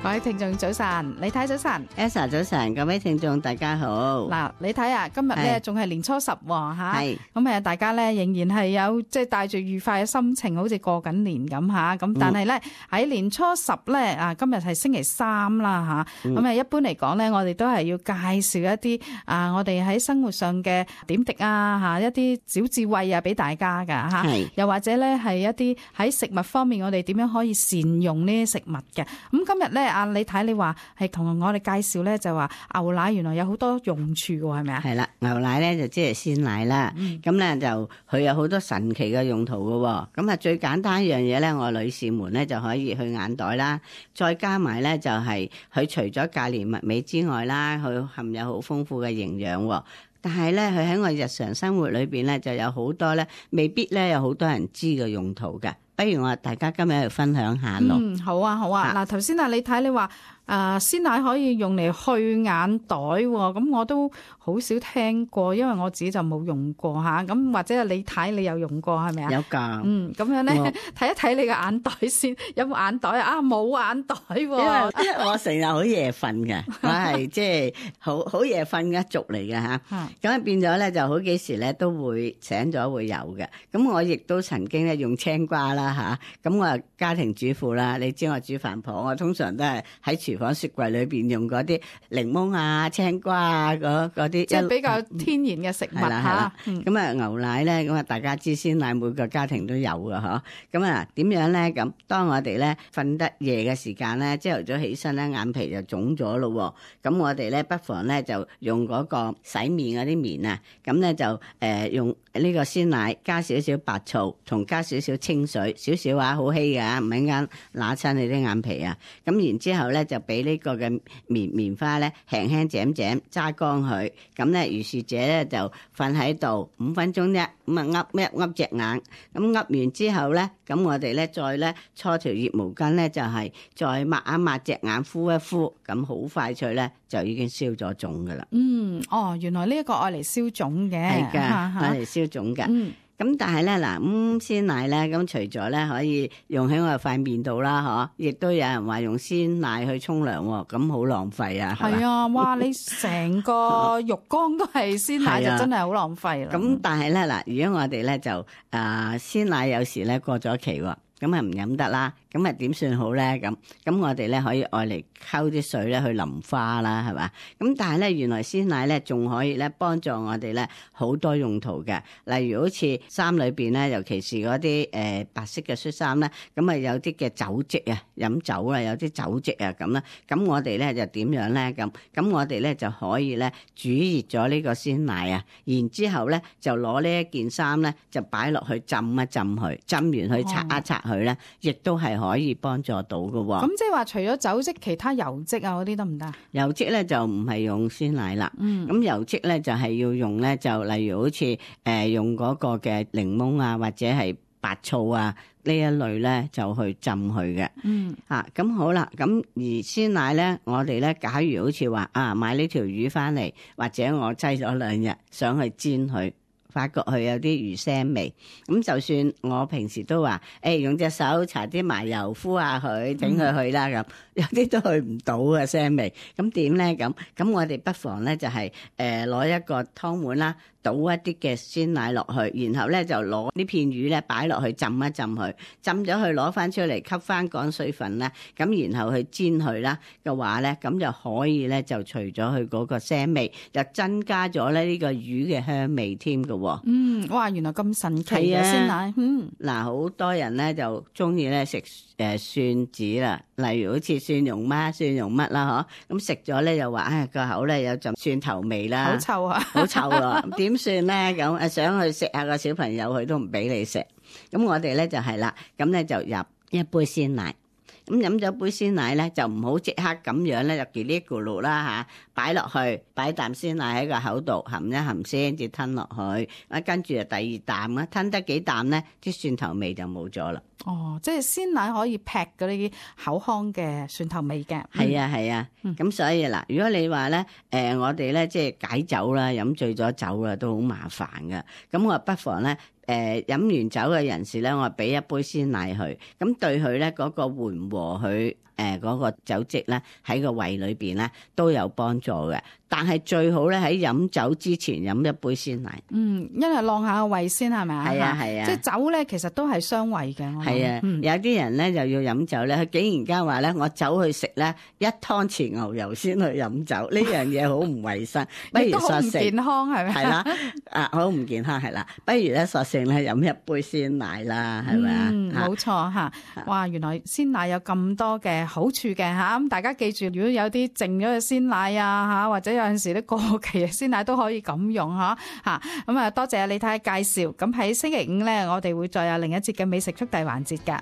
各位聽眾早晨，李太早晨 Elsa 早晨，各位聽眾大家好。嗱，你睇啊，今日咧仲係年初10吓，咁大家咧仍然係有即係帶住愉快嘅心情，好似過緊年咁吓。咁但係咧喺年初10咧今日係星期3啦吓。咁一般嚟講咧，我哋都係要介紹一啲我哋喺生活上嘅點滴吓，一啲小智慧俾大家噶吓。又或者咧係一啲喺食物方面，我哋點樣可以善用呢啲食物嘅。咁今日咧你睇你話係同我哋介紹咧，就話牛奶原來有好多用處嘅，係咪啊？係啦，牛奶咧就即係鮮奶啦。咁咧就佢有好多神奇嘅用途嘅。咁啊最簡單一樣嘢咧，我女士們咧就可以去眼袋啦。再加埋咧就係佢除咗價廉物美之外啦，佢含有好豐富嘅營養。但係咧，佢喺我日常生活裏邊咧，就有好多咧，未必咧有好多人知嘅用途嘅。不如我大家今日去分享下咯。好啊，好啊。嗱，頭先你睇你話鮮奶可以用嚟去眼袋喎，咁我都好少聽過，因為我自己就冇用過吓。咁或者你睇你有用過係咪啊？有㗎。咁樣咧睇一睇你個眼袋先，有冇眼袋啊？冇眼袋喎。因為我成日好夜瞓嘅，我係即係好夜瞓嘅一族嚟嘅吓。咁變咗咧就好幾時咧都會醒咗會有嘅。咁我亦都曾經咧用青瓜啦吓。咁我係家庭主婦啦，你知我煮飯婆，我通常都係喺廚房雪櫃裏邊用嗰啲檸檬啊、青瓜啊嗰啲，即係比較天然嘅食物吓。咁牛奶咧，咁大家知鮮奶每個家庭都有噶嗬。咁點樣咧？咁當我哋咧瞓得夜嘅時間咧，朝頭早起身咧，眼皮就腫咗咯。咁我哋咧不妨咧就用嗰個洗面嗰啲棉啊，咁咧就用呢個鮮奶加少少白醋，同加少少清水，少少好稀嘅，唔係啱揦親你啲眼皮啊。咁然之後咧就俾呢個嘅棉花咧輕輕剪揸乾佢。咁咧如是者咧就瞓喺度5分鐘啫。咁噏隻眼。咁噏完之後咧，咁我哋咧再咧搓條熱毛巾咧，就係再抹一抹隻眼，敷一敷，咁好快脆咧就已經消咗腫噶啦。原來呢一個愛嚟消腫嘅。係噶，愛嚟消腫噶。咁但係咧嗱，鮮奶咧，咁除咗咧可以用喺我哋塊面度啦，亦都有人話用鮮奶去沖涼，咁好浪費啊！係啊，哇！你成個浴缸都係鮮奶，就真係好浪費啦。咁但係咧嗱，如果我哋咧就鮮奶有時咧過咗期喎，咁啊唔飲得啦。咁啊點算好咧？咁我哋咧可以愛嚟溝啲水咧去淋花啦，係嘛？咁但係咧原來鮮奶咧仲可以咧幫助我哋咧好多用途嘅，例如好似衫裏邊咧，尤其是嗰啲白色嘅恤衫咧，咁啊有啲嘅酒漬啊，飲酒啊有啲酒漬啊咁啦，咁我哋咧就點樣咧？咁我哋咧就可以咧煮熱咗呢個鮮奶啊，然之後咧就攞呢一件衫咧就擺落去浸一浸佢，浸完去擦一擦佢咧，亦都係可以幫助到嘅喎。咁即係話除咗酒漬，其他油漬啊嗰啲得唔得？油漬咧就唔係用鮮奶啦。咁油漬咧就係要用咧，就例如好似用嗰個嘅檸檬啊，或者係白醋啊呢一類咧，就去浸佢嘅。咁好啦。咁而鮮奶咧，我哋咧假如好似話買呢條魚翻嚟，或者我擠咗2日想去煎佢，發覺佢有啲魚腥味，咁就算我平時都話，用隻手搽啲麻油敷下佢，整佢去啦咁，有啲都去唔到嘅腥味，咁點咧？咁我哋不妨咧就係攞一個湯碗啦，倒一啲嘅鮮奶落去，然後咧就攞呢片魚咧擺落去浸一浸佢，浸咗佢攞翻出嚟吸翻乾水分啦，咁然後去煎佢啦嘅話咧，咁就可以咧就除咗佢嗰個腥味，就增加咗咧呢個魚嘅香味添嘅。哇！原來咁神奇嘅鮮奶。嗱，好多人咧就中意咧食蒜子啦，例如好似蒜蓉乜啦，咁食咗咧又話個口咧有陣蒜頭味啦，好臭啊，好臭啊，點算咧？咁想去食下個小朋友，佢都唔俾你食。咁我哋咧就係啦，咁咧就入一杯鮮奶。咁飲咗杯鮮奶咧，就唔好即刻咁樣咧就嘰哩咕嚕啦嚇，擺落去，擺啖鮮奶喺個口度含一含先至吞落去，跟住就第2啖啦，吞得幾啖咧，啲蒜頭味就冇咗啦。即係鮮奶可以劈嗰啲口腔嘅蒜頭味嘅。係啊，咁所以嗱，如果你話咧，我哋咧即係解酒啦，飲醉咗酒啦，都好麻煩噶。咁我不妨咧，飲完酒嘅人士咧，我俾一杯鮮奶佢，咁對佢咧嗰個緩和佢嗰個酒漬咧喺個胃裏邊咧都有幫助嘅。但係最好咧喺飲酒之前飲一杯鮮奶。因為晾下個胃先係咪啊？係啊係啊，即係酒咧其實都係傷胃嘅。係啊，有啲人咧就要飲酒咧，佢竟然間話咧我走去食咧1湯匙牛油先去飲酒，呢樣嘢好唔衛生，不如索性唔健康係咪？係啦，好唔健康係啦，不如咧索性咧飲一杯鮮奶啦，係咪啊？冇錯嚇，哇！原來鮮奶有咁多嘅好處嘅嚇，咁大家記住，如果有啲剩咗嘅鮮奶啊嚇，或者有陣時啲過期嘅鮮奶都可以咁用嚇。咁啊多謝李太介紹。咁喺星期五咧，我哋會再有另一節嘅美食速遞環節㗎。